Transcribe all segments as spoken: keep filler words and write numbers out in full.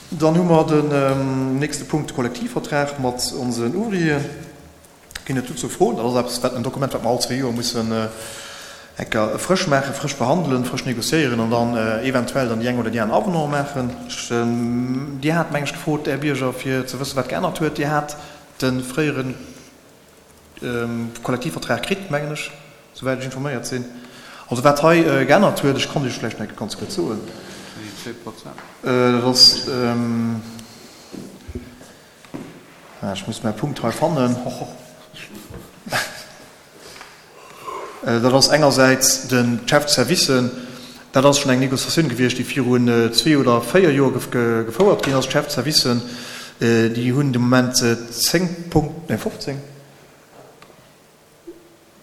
Dann hu mer den nächste Punkt, de Kollektivvertrag mat onsen Ouvrieren. Ginn et dozou Froen? Dat ass eppes, wat en Dokument, wat mer all zwee Joer mussen eng Kéier frësch maachen, frësch behandelen, frësch négociéieren an dann eventuell dann déi eng oder déi aner Avenant maachen. Ech, Dir hat, meng ech, gefrot, Här Bierger, fir ze wëssen, wat geännert huet. Dir hat de fréiere Kollektivvertrag kritt, mengen ech, souwäit ech informéiert sinn. Also wat hei geännert huet, ech kann Iech vläicht nach eng Kéier ganz kuerz soen, dat ass, ech muss mäi Punkt hei fannen, dat ass engersäits de Chef de service, dat ass schonn eng Négociatioun gewiescht, déi virun zwee oder véier Joer gefouert ginn ass. D'Chef de service, déi hunn de Moment zéng Punkten, nee fofzéng,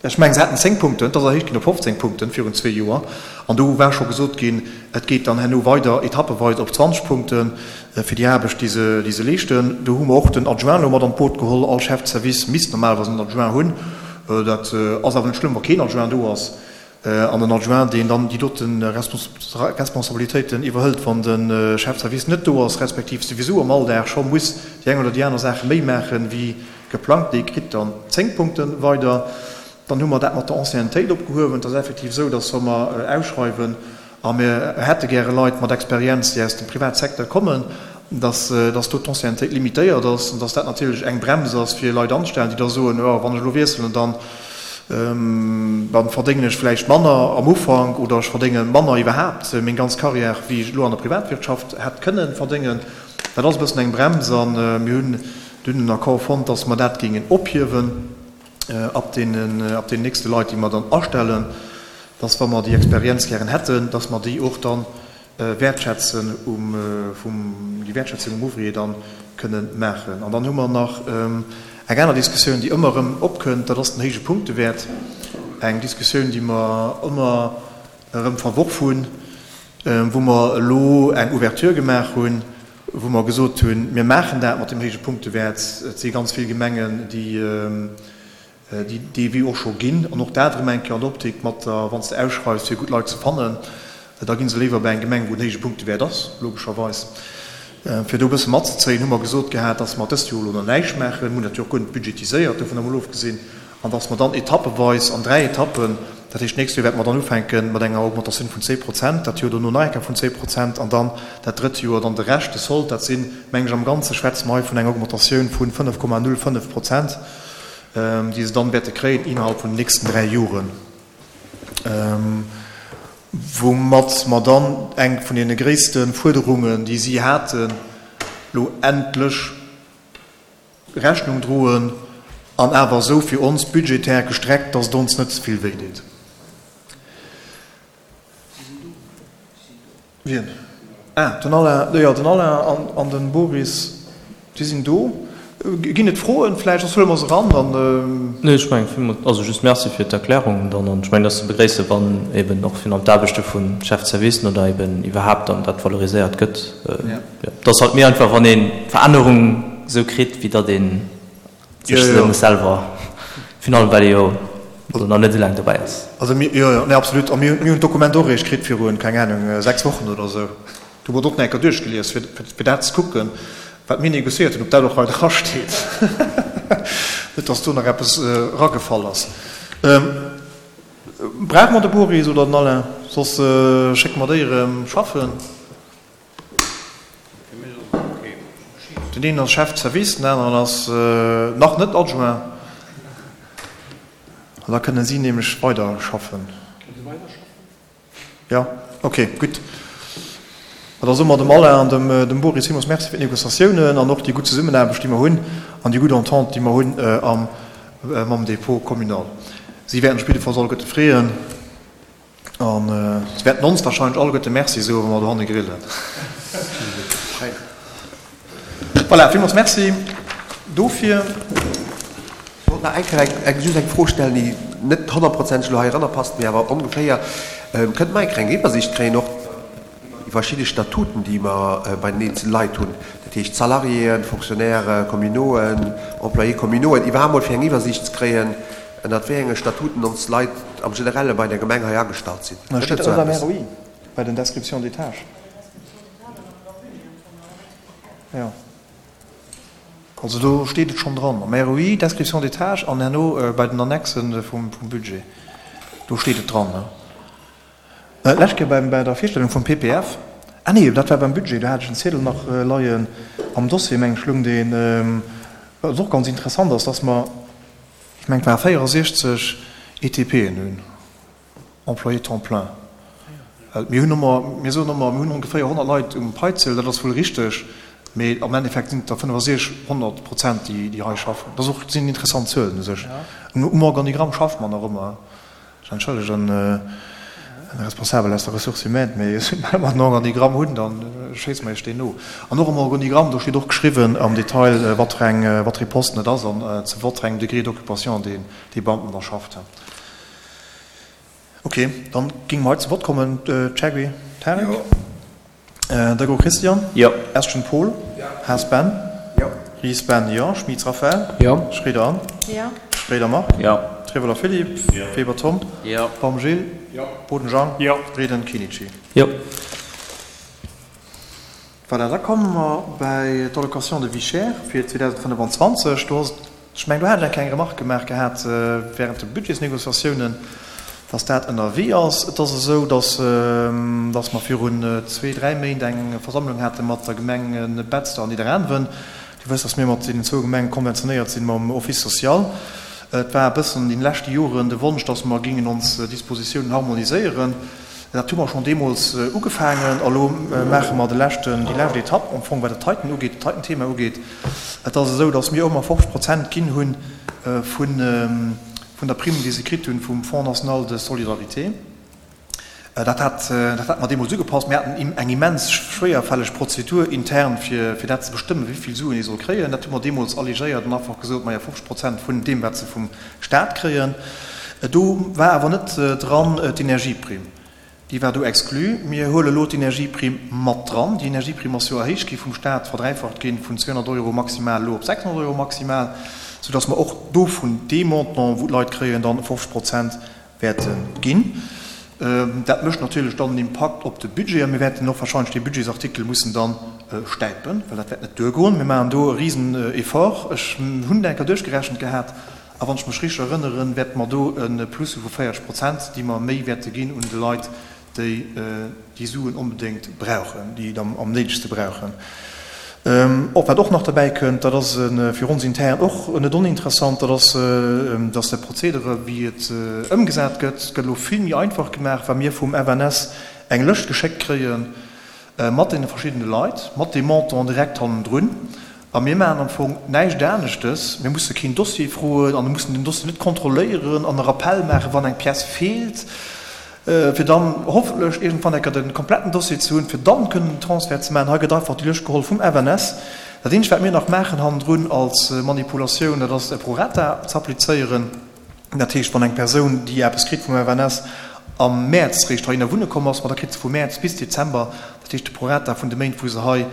Ech mengen, se haten zéng Punkten, et ass erhéicht ginn op fofzéng Punkten virun zwee Joer. An do war scho gesot ginn, et geet dann herno weider etappeweis op zwanzeg Punkte fir déi Aarbecht, déi se, déi se leeschten. Do hu mer och den Adjoint elo mat an d'Boot geholl. All Chef de service misst normalerweis en Adjoint hunn. Dat ass awer net schlëmm, wa keen Adjoint do ass. An den Adjoint, deen dann déi dote Responsabilitéiten iwwerhëlt, wann de Chef de service net do ass, respektiv souwisou am Alldag scho muss déi eng oder déi aner Saach méi maachen, wéi geplangt, dee kritt dann zéng Punkte weider. Dann hu mer dat mat der Anciennetéit opgehuewen. Et ass effektiv esou, dass wa mer ausschreiwen a mir hätte gäre Leit mat Experienz, déi aus dem Privatsecteur kommen, dass dass do d'Anciennetéit limitéiert ass an dass dat natierlech eng Brems ass, fir Leit anzestellen, déi da soen, Jo, wann ech elo wiesselen, dann dann verdéngen ech vläicht manner am Ufank oder ech verdénge manner iwwerhaapt meng ganz Carrière, wéi ech elo an der Privatwirtschaft hätt kënnen verdéngen. Dat ass e bëssen eng Brems a mir hunn dunn en Accord fonnt, dass mer dat géingen ophiewen ab deenen, ab deenen nächste Leit, déi mer dann astellen, dass, wa mer déi Experienz gären hätten, dass mer déi och dann wäertschätzen um, vum, déi Wäertschätzung um Ouvrier dann kënnen maachen. An dann hu mer nach eng aner Diskussioun, déi ëmmer erëm opkënnt, dat ass den héije Punktewäert. Eng Diskussioun, déi mer ëmmer erëm verworf hunn, wou mer elo eng Ouverture gemaach hunn, wou mer gesot hunn, mir maachen dat mat dem héije Punktewäert. Et si ganz vill Gemengen, déi déi dee Wee och scho ginn, an och dat erëm eng Kéier an der Optik mat der, wann s de ausschreifs, fir gutt Leit ze fannen, da gi se léiwer bei eng Gemeng, wou en héije Punktewäert ass, logescherweis. Fir do e bësse matzezéien, hu mer gesot gehat, dass mer dëst Joer elo nach näischt maachen, mir hunn dat jo och guer net budgetiséiert, dovun emol ofgesinn, an dass mer dann etappeweis an dräi Etappen, dat heescht d'nächst Joer wäerte mer dann ufänke mat enger Augmentatioun vun zéng Prozent, dat Joer dono nach eng Kéier vun zéng Prozent an dann dat drëtt Joer dann de Rescht, de Sold, dat sinn, meng ech, am Ganze schwätze mer hei vun enger Augmentatioun vu fënnef Komma null fënnef Prozent, déi se dann wäerte kréien innerhalb vun den nächsten dräi Joren, woumat mer dann eng vun deene gréisste Fuerderungen, déi si haten, elo endlech Rechnung droen an awer esou fir ons budgetär gestreckt, dass et ons net ze vill wéi deet. Wien? Ah, den Alain, jo, den Alain an, an den Boris, déi sinn do. Ginn et Froen vläicht? Soss huele mer se eran an. Nee, ech mengen, villmools, also just Merci fir d'Erklärung dann. An ech mengen, et ass ze begréissen, wann eben och virun allem d'Aarbechte vu Chef-de-servicen oder eben iwwerhaapt dann dat valoriséiert gëtt. Jo, et ass halt méi einfach, wann een d'Verännerung esou kritt, wéi datt ee sech se muss selwer, virun allem well ee jo elo nach net esou laang dobäi ass. Also mir, jo, jo, nee, absolut. A mir hunn, mir hunn d'Dokument och eréischt kritt virun, keng Ahnung, sechs Wochen oder esou. Do huet och nach eng Kéier duerchgelies, fir, fir dat ze kucken, wat mir négociéiert hunn, ob dat och hei drasteet. Net, dass do nach eppes eragefall ass. Brauche mer de Boris oder den Alain? Soss schécke mer déi erëm schaffen. Den een ass Chef de service, den aneren ass nach net Adjoint. An da kënne si nämlech weiderschaffen. Jo, okay, gutt. Ma da soe mer dem Alain an dem dem Boris villmools Merci fir d'Négociatiounen an och déi gutt Zesummenaarbecht, déi mer hunn, an déi gutt Entente, déi mer hunn am mam Dépôt communal. Si wäerten sech op jidde Falls alleguerte freeën. An se wäerten ons wahrscheinlech alleguerte Merci soen, wa mer dohanne grillen. Voilà, villmools Merci dofir. Ech wollt nach eng Kéier eng, just eng Fro stellen, déi net honnertprozenteg elo hei eranner passt, mee awer ongeféier. Kënnt mer eng kleng Iwwersiicht kréien och iwwer déi verschidde Statuten, déi mer bei den eenzele Leit hunn, dat heescht Salariéen, Fonctionnaires communauxen, Employés communauxen, iwwerhaapt mol fir eng Iwwersiicht ze kréien, Ënnert wéi enge Statuten ons Leit am Generelle bei der Gemeng hei agestallt sinn. Gëtt et esou eppes? Bei den Descriptions des tâches. Jo. Also do steet et schonn dran, am R O I, Description des tâches, an herno bei den Annexen vum Budget, do steet et dran. D'lescht Kéier bei der Virstellung vum P P F, ah nee, dat war beim Budget, do hat ech en Ziedel nach leien am Dossier, meng ech, loung deen, wat och ganz interessant ass, dass mer, ech mengen, et ware véierundsechzeg E T P'en hunn, Employés temps plein. Mir hunn ëmmer, mir soen ëmmer, mir hunn ongeféier honnert Leit um Paieziel, dat ass wuel richteg, mee am Endeffekt sinn et der fënnefasechzeg, honnert Prozent, déi déi hei schaffen. Dat ass och, sinn interessant Zuelen u sech. Um Organigramm schafft mer nach ëmmer. Ech entschëllegen den Responsabel aus der Ressources humaines, mee soubal mer den Organigramm hunn, da schéisse mer Iech deen no. An och am Organigramm, do steet och geschriwwen am Detail, wat fir eng, wat fir ee Posten et ass an zu wat fir engem Degré d'occupation deen dee Beamten da schafft. Ok, dann géinge mer hei zu Wort kommen. Chergui Tarek? Jo. Degour Christian? Jo. Estgen Paul? Jo. Haas Ben? Jo. Ries Ben, jo. Schmitz Raphaël? Jo. Schroeder Anne? Jo. Schroeder Marc? Jo. Trevoller Philippe? Jo. Weber Tom? Jo. Baum Gilles? Jo. Boden Jean? Jo. Reding Kinichi? Jo. Voilà, da komme mer bei d'Allocation de vie chère fir zweedausendfënnefanzwanzeg. Do ass et, ech mengen, do hat ech eng kleng Remarque gemaach gehat während de Budgetsnégociatiounen, dass dat ënnerwee ass. Et ass esou, dass, dass mer virun zwee, dräi Méint eng Versammlung hate mat der Gemeng Betzder an Nidderaanwen. Dir wësst, dass mir mat deenen zwou Gemenge konventionéiert sinn mam Office social. Et war e bëssen an deene leschte Joren de Wonsch, dass mer géingen ons Dispositiounen harmoniséieren. Dat hu mer schonn deemools ugefaangen a lo maache mer de leschten, déi lescht Etapp am Fong, wat dat heiten ugeet, dat heiten Thema ugeet. Et ass esou, dass mir ëmmer fofzeg Prozent ginn hu vun, vun der Prime, déi se kritt hunn vum Fonds national de solidarité. Dat hat, dat hat mer deemools ugepasst. Mir haten eng immens schwéierfälleg Prozedur intern, fir, fir dat ze bestëmmen, wéi vill Suen ee soll kréien. Dat hu mer deemools allégéiert an einfach gesot, maja, fofzeg Prozent vun deem, wat se vum Staat kréien. Do war awer net dran d'Energieprime. Déi war do exclu. Mir huele elo d'Energieprime mat dran. Déi Energieprime ass jo erhéicht gi vum Staat, verdräifacht ginn, vun zweehonnert Euro maximal elo op sechshonnert Euro maximal, soudass mer och do vun deem Montant, wou d'Leit kréien, dann fofzeg Prozent wäerte ginn. Dat mécht natierlech dann en Impakt op de Budget a mir wäerten och wahrscheinlech dee Budgetsartikel mussen dann stäipen, well dat wäert net duergoen. Mir maachen do e Riseneffort. Ech hunn dat eng Kéier duerchgerechent gehat a wann ech mech richteg erënneren, wäerte mer do e Plus hu vu véierzeg Prozent, déi mer méi wäerte ginn un de Leit, déi déi Suen onbedéngt brauchen, déi et am néidegste brauchen. Och wat och nach derbäi kënnt, dat ass fir ons intern och net oninteressant, dat ass, dass de Prozedere, wéi et ëmgesat gëtt, gëtt elo vill méi einfach gemaach, well mir vum F N S eng Lëscht geschéckt kréie mat deene verschiddene Leit, mat deem Montant direkt hannendrun. A mir maachen am Fong näischt aneschtes. Mir musse keen Dossier froen an mussen den Dossier net kontrolléieren an e Rappel maachen, wann eng Pièce feelt, fir dann hoffentlech iergendwann eng Kéier de kompletten Dossier ze hunn, fir dann kënnen den Transfert ze maachen. Hei gëtt einfach déi Lëscht geholl vum F N S. Dat eenzegt, wat mir nach maachen hannendrun als Manipulatioun, dat ass e Prorata ze applizéieren. Dat heescht, wann eng Persoun, déi eppes kritt vum F N S, am Mäerz réischt heihinner wunne komm ass, ma da kritt se vu Mäerz bis Dezember, dat heescht de Prorata vun de Méint, wou se hei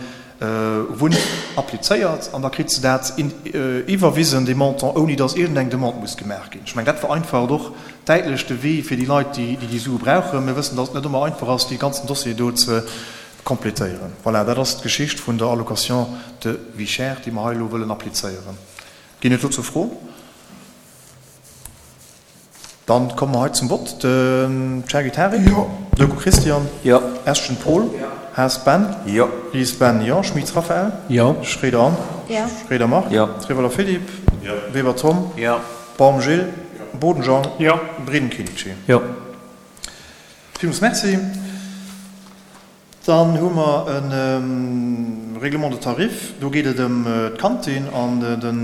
wunnt, applizéiert an da kritt se dat iwwerwisen, dee Montant, ouni datt iergendeng Demande muss gemaach ginn. Ech mengen, dat vereinfacht och däitlech de Wee fir déi Leit, déi déi Sue brauchen. Mir wëssen, datt et net ëmmer einfach ass, dee ganzen Dossier do ze complétéieren. Voilà, dat ass d'Geschicht vun der Allocation de vie chère, déi mer hei elo wëllen applizéieren. Ginn et dozou Froen? Dann komme mer hei zum Vott. Den Chergui Tarik? Jo. Degour Christian? Jo. Estgen Paul? Jo. Haas Ben? Jo. Ries Ben, jo. Schmitz Raphaël? Jo. Schroeder Anne? Jo. Schroeder Marc? Jo. Trevoller Philippe? Jo. Weber Tom? Jo. Baum Gilles? Jo. Boden Jean? Jo. Breden Kinichi? Jo. Villmools merci. Dann hu mer e Règlement de tarif. Do geet et ëm d'Kantin an den,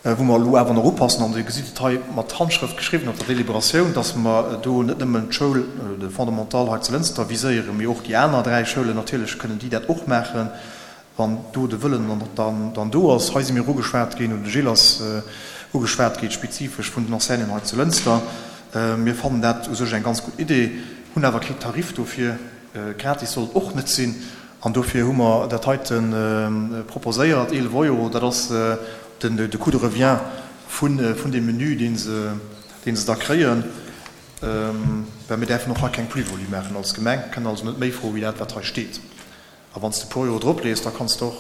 wou mer elo awer nach upassen, an Dir gesitt et hei mat Handschrëft geschriwwen op der Deliberatioun, dass mer do net nëmmen d'Schoul, de Fondamental hei zu Lënster viséieren, mee och déi aner dräi Schoulen. Natierlech kënnen déi dat och maachen, wann do de Wëllen dann dann do ass. Hei si mir ugeschwat ginn, oder de Gilles ass ugeschwat ginn, spezifesch vun den Enseignanten hei zu Lënster. Mir fannen dat u sech eng ganz gutt Idee, hunn awer kee Tarif dofir. Gratis soll et och net sinn. An dofir hu mer dat heite proposéiert, eelef Euro, dat ass den de Coût de revient vun vun deem Menü, dee se dee se da kréien. Well mir däerfen och hei keng Plus-value maachen als Gemeng, kënnen also net méi froe wéi dat, wat hei steet. A wann s de e puer Euro drop lees, da kanns de och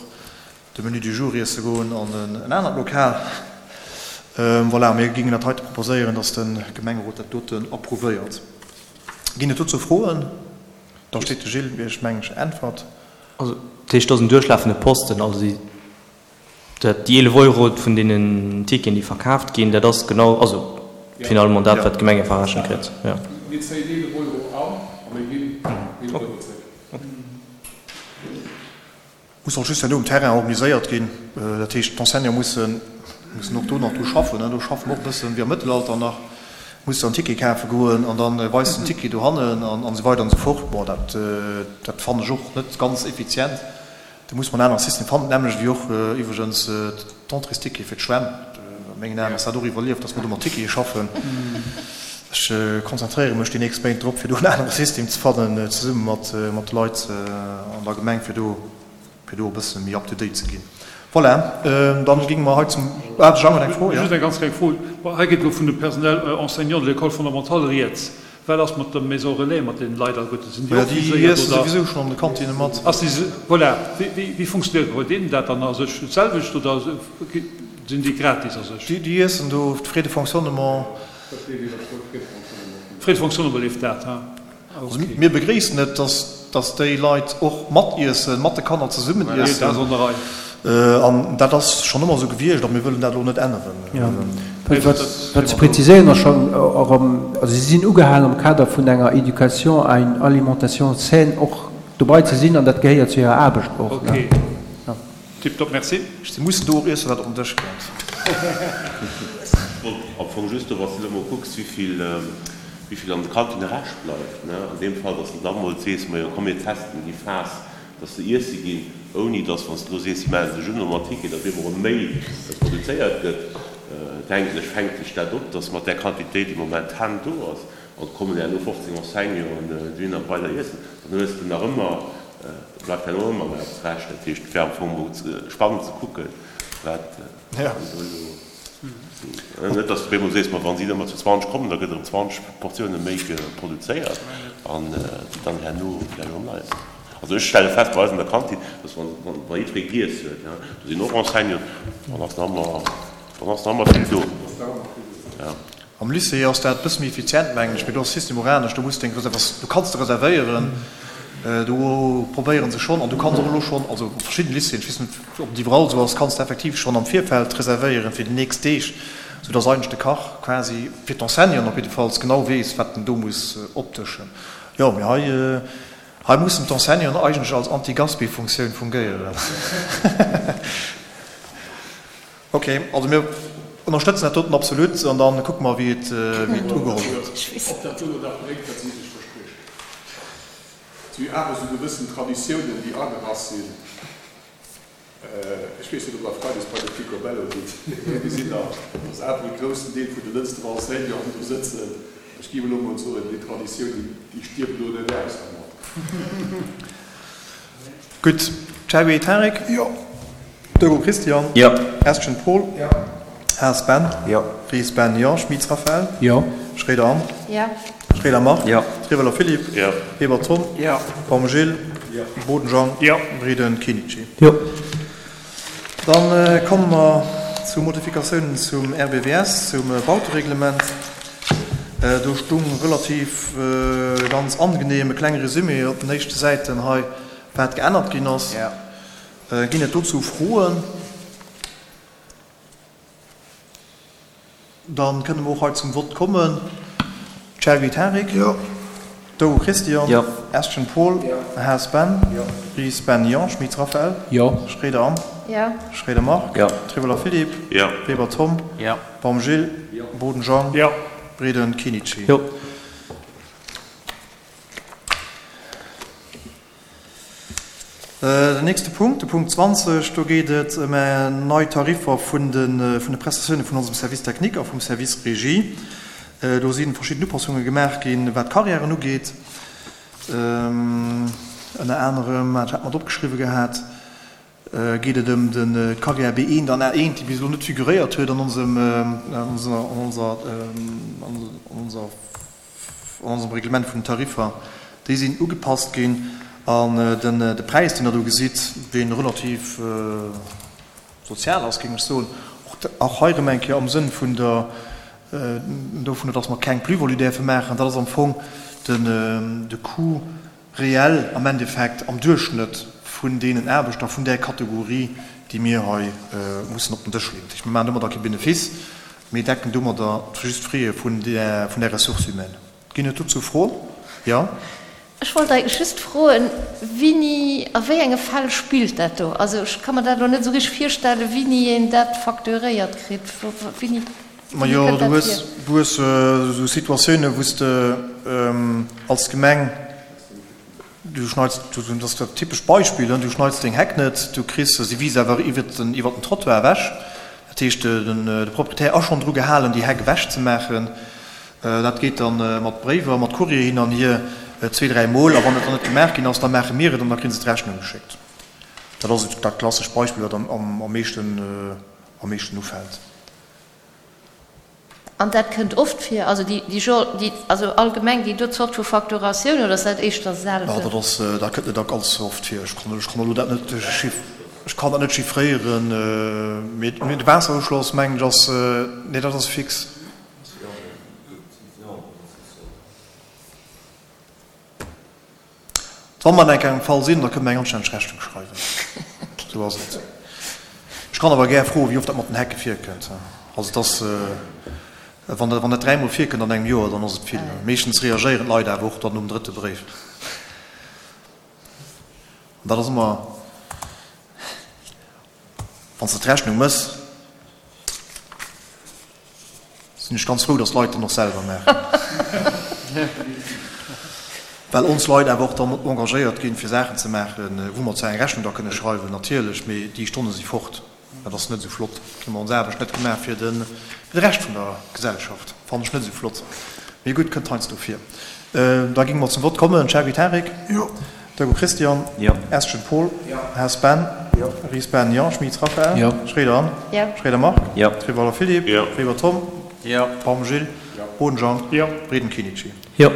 de Menu du jour iesse goen an en anert Lokal. Voilà, mir géingen dat heite proposéieren, dass de Gemengerot dat doten approuvéiert. Ginn et dozou Froen? Da steet de Gilles Iech, mengen ech, Äntwert. Also, dat heescht, dat ass en duerchlafende Posten. Also déi, dat, déi eelef Euro vun deenen Ticketen, déi verkaaft ginn, dat ass genau, also finalement dat, wat d'Gemeng verrechent kritt. Jo. Mir zéien eelef Euro an a mir ginn eelef Euro zréck. Muss och just herno um Terrain organiséiert ginn. Dat heescht, d'Enseignante mussen, mussen och do nach dru schaffen. Do schaffe mer och e bëssen wéi am Mëttelalter nach, muss de en Ticket kafe goen an da weis den Ticket dohannen an esou weider an esou fort. Bon, dat, dat fannen ech och net ganz effizient. Do muss mer en anere System fannen, d'nämmlecht wéi och iwwregens d'Entréesticket fir d'Schwämm. A mengen Aen ass dat och iwwerlieft, dass mer do mat Tickete schaffen. Ech konzentréiere mech déi nächst Méint drop, fir do en anere System ze fannen, zesumme mat de Leit an der Gemeng, fir do fir do e bësse méi up to date ze ginn. Voilà, dann géinge mer hei zum, ah, de Jean huet eng Fro, jo. Just eng ganz kleng Fro. Hei geet elo vun de Personnel enseignant de l'école fondamentale rieds. Wat ass mat der Maison relais, mat deenen Leit alleguerten? Sinn déi och viséiert, oder? Déi iesse souwisou schonn an de Kantinne mat. Ass déi, voilà. Wéi, wéi funktionéiert bei deenen dat dann a sech? D'selwecht oder sinn déi gratis a sech? Déi iessen do, d'Frais de fonctionnement. Dat leeft iwwer d'Frais de fonctionnement. Frais de fonctionnement leeft dat, ha? Also mir begréissen et, dass, dass déi Leit och matiessen, mat de Kanner zesummen iessen. An dat ass schonn ëmmer esou gewiescht a mir wëllen dat elo net änneren. Wat ze präziséieren ass schonn erëm, also si sinn ugehaangen am Kader vun enger Éducation à une alimentation saine och dobei ze sinn an dat gehéiert zu hirer Aarbecht och. Okay. Tiptop, merci. Si mussen do och iessen, wat op den Dësch kënnt. Ech wollt am Fong just do, wann s de elo mol kucks, wéivill, wéivill an de Kantinne Rescht bleift, ne, an deem Fall, dass de da mol sees, majo komm mir testen déi Phas, dass se iesse ginn, ouni dass, wann s de elo sees, si mellen sech un nom Artikel, datt op eemol erëm méi produzéiert gëtt, denken ech, fänkt sech dat op, dass mat där Quantitéit, déi momentan do ass, an et kommen herno fofzéng Enseignanten dohinner weider iessen, dann hues de nach ëmmer, bleift herno ëmmer nach eppes Rescht. Dat heescht, et wär am Fong mol spannend ze kucken, wat do elo, net datt s de op eemol sees, ma wa si ëmmer zu zwanzeg kommen, da gëtt erëm zwanzeg Portioune méi produzéiert an déi dann herno vläicht erëm nei sinn. Also ech stelle fest bei eis an der Kantin, dass wa jiddweree giess huet, do sinn och Enseignanten, dann ass nach ëmmer, dann ass nach ëmmer vill do. Am Lycée ass dat e bësse méi effizient, mengen ech, mee do ass de System och anescht. Do muss de eng Reservatioun, do kanns de reservéieren, do probéiere se schonn an du kanns och elo schonn, also a verschiddene Lycéeën, ech weess net, ob et iwwerall esou ass, kanns de effektiv schonn am Virfeld reservéieren fir déi nächst Deeg, soudass eigentlech de Kach quasi, fir d'Enseignanten op jiddefalls, genau weess, wat en do muss opdëschen. Jo, mee hei, hei mussen d'Enseignanten eigentlech als Anti-Gaspi-Funktioun fungéieren. Ok, also mir ënnerstëtzen dat doten absolut an da kucke mer, wéi et ugeholl gëtt. Ob dat duerno dat bréngt, wat si sech verspriechen. Et si jo awer esou gewëssen Traditiounen, déi agerass sinn. Ech weess net, ob Der freides bei de Picobello gitt, mee mir gesinn da, dass awer e groussen Deel vun de Lënster Enseignanten do sëtzen. Ech géif elo emol soen, déi Traditioun, déi stierft elo net aus dermat. Gutt. Cherry Tarek? Jo. Dogo Christian? Jo. Estgen Paul? Jo. Haas Ben? Jo. Ries Ben? Jo. Schmitz Raphaël? Jo. Schroeder Anne? Jo. Schroeder Marc? Jo. Trieweler Philippe? Jo. Weber Tom? Jo. Baum Gilles? Jo. Boden Jean? Jo. Breden Kinichi? Jo. Dann komme mer zu Modifikatiounen zum R B W S, zum Bautereglement. Do stung relativ ganz angenehm e klenge Résumé op den éischte Säiten hei, wat geännert ginn ass. Ginn et dozou Froen? Da kënne mer och hei zum Vott kommen. Chergui Tarik? Jo. Dogo Christian? Jo. Estgen Paul? Jo. Haas Ben? Jo. Ries Ben? Jo. Schmitz Raphaël? Jo. Schroeder Anne? Jo. Schroeder Marc? Jo. Triveller Philippe? Jo. Weber Tom? Jo. Baum Gilles? Jo. Boden Jean? Jo. Breden Kinichi? Jo. Den nächste Punkt, de Punkt zwanzeg, do geet et ëm nei Tariffer vun de Prestatiounen vun onsem Service technique a vum Service Régie. Do si verschidden Upassunge gemaach ginn, wat d'Carrièren ugeet. Ënner anerem, dat hat mer opgeschriwwe gehat, geet et ëm d'Carrière B eent an A eent, déi bis elo net figuréiert huet an onsem, an onser, an onser, an onsem Reglement vun den Tariffer. Déi sinn ugepasst ginn. An den de Präis, deen Der do gesitt, dee relativ sozial ass, géing ech soen, och hei erëm eng Kéier am Sënn vun der, dovunner, dass mer keng Plus-value däerfe maachen, dat ass am Fong den de Coût réel am Endeffekt am Duerchschnëtt vun deenen Aarbechter vun där Kategorie, déi mir hei mussen op den Dësch leeën. Dat heescht, mir maachen domadder kee Benefice, mee decken domadder just d'Fraie vun där vun där Ressource humaine. Ginn et dozou Froen? Jo. Ech wollt eigentlech just froen, Wini, a wéi enge Fäll spillt dat do? Also ech ka mer dat elo net esou richteg virstellen, wini een dat facturéiert kritt. Wini, wini Majo, kënnt du dat hues, vir? du hues esou Situatiounen, wou s de als Gemeng, du schneits, dat ass dat typescht Beispill, du schneits deng Heck net, du kriss se, si wiisst awer iwwert den, iwwert den Trottoir ewech. Dat heescht, den, de Proprietär ass schonn dru gehalen, déi Heck ewechzemaachen. Dat geet da mat Bréiwer, mat Courrier hin an hier, zwee, dräi Mol. A wann et dann net gemaach ginn ass, da maache mir et an da kréie se d'Rechnung geschéckt. Dat ass dat klassescht Beispill, wat am meeschten, am meeschten ufält. An dat kënnt oft vir, also déi, déi Genre, déi, also allgemeng déi do Zort vu Facturatioun, oder ass dat éischter selten? Jo, dat ass, dat kënnt net ganz oft vir. Ech kann, ech kann elo dat net, ech kann dat net chiffréieren, mee de Waasseruschloss, mengen ech, ass, nee, dat ass fix. Wa mer an engem Fall sinn, da kënne mer eng anstänneg Rechnung schreiwen. Esou ass et. Ech kann awer gär froen, wéi oft dat mat den Hecke virkënnt. Also et ass, wann dat, wann dat dräimol virkënnt an engem Joer, dann ass et vill. Meeschtens reagéieren d'Leit awer och dann nom drëtte Bréif. An dat ass ëmmer, wann s de d'Rechnung mëss, Sinn ech ganz frou, dass d'Leit dann och selwer maachen, well ons Leit awer och dann engagéiert ginn, fir Saachen ze maachen, wou mer zwar eng Rechnung da kënne schreiwen, natierlech, mee déi Stonne si fort. Dat ass net esou flott. Hu mer ons Aarbecht net gemaach fir de Rescht vun der Gesellschaft. Fannen ech net esou flott. Mee gutt, kënnt heiansdo vir. Da géinge mer zum Vott kommen. Cherby Tarik. Jo. Deco Christian. Jo. Estgen Paul. Jo. Haas Ben. Jo. Ries Ben, jo. Schmit Raphaël. Jo. Schroeder Anne. Jo. Schroeder Marc. Jo. Rivoller Philippe. Jo. Weber Tom. Jo. Baum Gilles. Jo. Boden Jean. Jo. Breden Kinichi. Jo.